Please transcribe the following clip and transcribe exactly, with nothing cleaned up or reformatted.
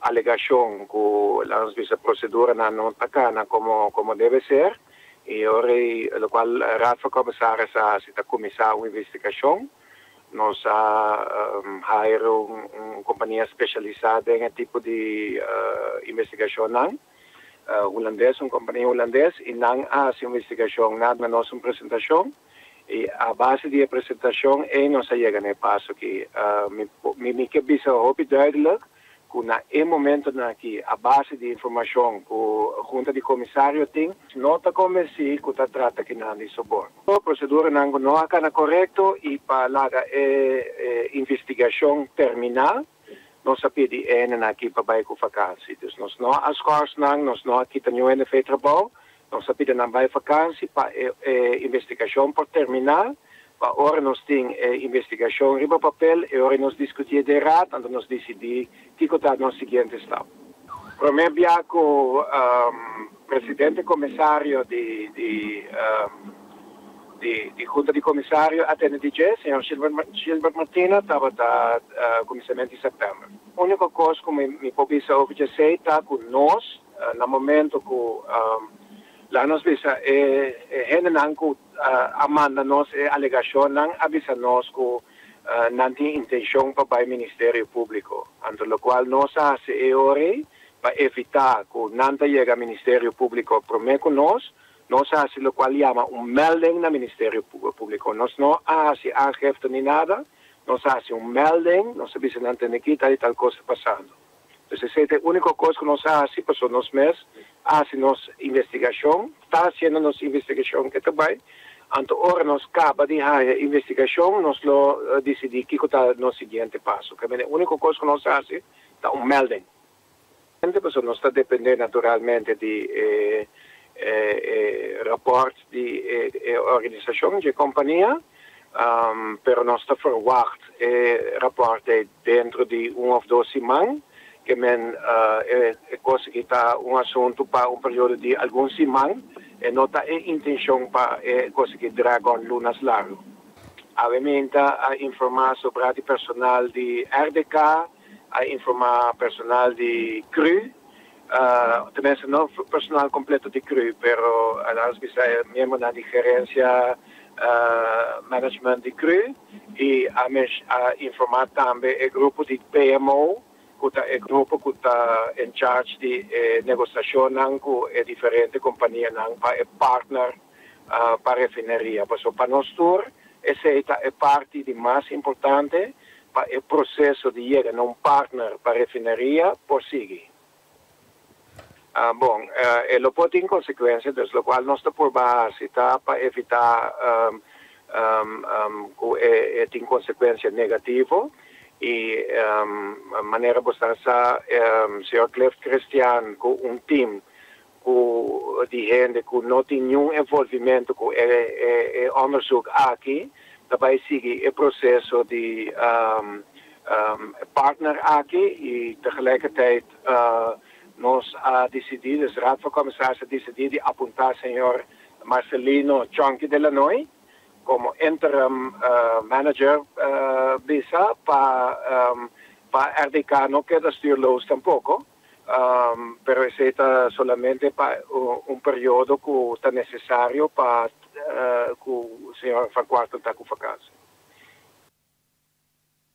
alegashon ku, laga nos bisa, proseduranan no ta kana komo komo debe ser i ora lokual Raad van Commissaris a ta kuminsá un investigashon. Nos a um, hire un, un kompania spesialisá den tipo di uh, investigashon nan uh, hulandes, un kompania hulandes, i nan a hasi investigashon, nan a nos un presentashon i a base di e presentashon ei nos a yega na e paso ku uh, mi mi mi ke bisa hopi duidelijk ku na e momentonan aki, a base di informashon ku Hunta di Komisario tin, no ta konvensí ku ta trata akinan di soborno. E proseduranan no a kana korekto i pa laga e, e investigashon terminá, nos a pidi e hendenan aki pa bai ku vakantie. Dus nos no a schors nan, nos no a kita ningun hende for di trabou, nos a pidi nan bai vakantie pa e, e investigashon por terminá, pa ora nos tin e, investigashon riba papel i ora nos diskutí den raad, anto nos disidí kiko ta nos siguiente stap. Promé bia ku um, presidente komisario di, di, um, di, di Hunta di Komisario a tende di dje, señor Gilbert, Gilbert Martina, tabata uh, kuminsamentu di sèptèmber. Úniko kos ku mi, mi por bisa over esei ta ku nos, uh, na momento ku um, laga nos bisa e, e hendenan ku uh, a manda nos e alegashonnan a bisa nos ku uh, nan tin intenshon pa bai Ministerio Públiko. Anto lokual nos a hasi e ora pa evitá ku nan ta yega Ministerio Públiko promé ku nos, nos a hasi lokual yama un melding na Ministerio Públiko. Nos no a hasi aangifte ni nada, nos a hasi un melding, nos a bisa nan aki tal i tal kos pasando. Anto, esei ta e úniko kos ku nos a hasi, pasobra nos mes a hasi nos investigashon, ta hasiendo nos investigashon ku tambe. Anto, ora nos kaba di e investigashon, nos lo uh, disidí kiko ta nos siguiente paso. Ku e úniko kos ku nos a hasi ta un melding. Pasobra nos ta dependé naturalmente di eh, eh, eh, rapport di eh, eh, organisashon, di kompania, um, pero nos ta verwacht eh, rapport denter di un òf dos siman, ke men uh, e, e kos ku ta un asuntu pa un periodo di algun siman i no ta e intenshon pa e kos ku drag on lunanan largu. Obviamente a informá sobre e personal di R D K, a informá personal di C R U, uh, tenminste no personal kompleto di C R U, pero laga bisa miembro di gerensia, uh, management di C R U i a, a informá tambe e grupo di P M O, ku ta e grupo ku ta in charge di eh, negosiashon ku e diferente kompanianan pa e partner uh, pa refineria. Pasobra pa nos tur, esei ta e parti di mas importante pa e proseso di yega na un partner pa refineria por sigui. Uh, bon, uh, e lo por tin konsekuensia, dus lokual nos ta por base ta pa evitá um, um, um, ku e, e tin konsekuensia negativo i um, manera bo sa, um, señor Cliff Christian ku un team ku di hende ku no tin ningun envolvimentu ku e, e, e onderzoek aki, tambe sigui e proseso di um, um, partner aki i tegelijkertijd uh, nos a disidí, dus Raad van Commissarissen a disidí di apuntá señor Marcelino Chonky de Lanoy komo interim uh, manager uh, bisa pa um, pa R D K no keda stuurloos tampoko. Um, pero esei ta solamente pa un, un periodo ku ta nesesario pa uh, ku señor Van Kwartel ta ku vakantie.